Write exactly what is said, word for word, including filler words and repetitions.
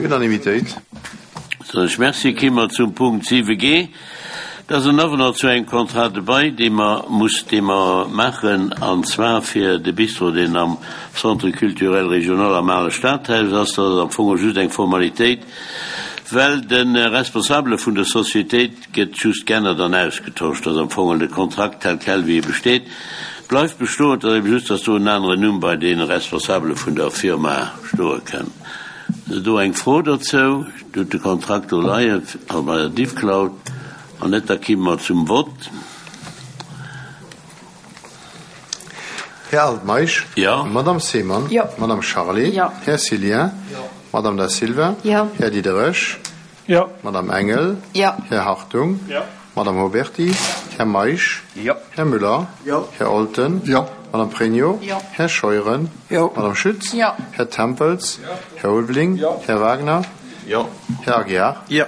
Unanimitéit. Soen ech Merci. Ki mer zum Punkt siwe G. Dat ass en Avenant zu engem Contrat de bail, dee mer muss, dee mer maachen, an zwar fir de Bistro, deen am Centre culturel régional am ale Stadhaus ass. Dat ass am Fong just eng Formalitéit, well de Responsabele vun der Sociétéit gëtt just geännert an ausgetosch. Dat ass am Fong de Kontrakt tel quel, wéi e besteet, bleift bestoen. Et ass ebe just, dass do en aneren Numm bei deene Responsabele vun der Firma stoe kënn. Ass do eng Fro dozou? Dir hutt de Kontrakt do leien, also bei der Diffcloud. Wann net, da kimme mer zum Vott. Här Altmeisch. Jo. Madamm Seemann. Jo. Madamm Charlé. Jo. Här Cillien. Jo. Madamm Da Silva. Jo. Här Diderich. Jo. Madamm Engel. Jo. Här Hartung. Jo. Madamm Oberti. Här Meisch. Jo. Här Müller. Jo. Här Olten. Jo. Madamm Pregno. Jo. Här Scheuren. Jo. Madamm Schütz. Jo. Här Tempels. Jo. Här Ulveling. Jo. Här Wagner. Jo. Här Aguiar. Jo.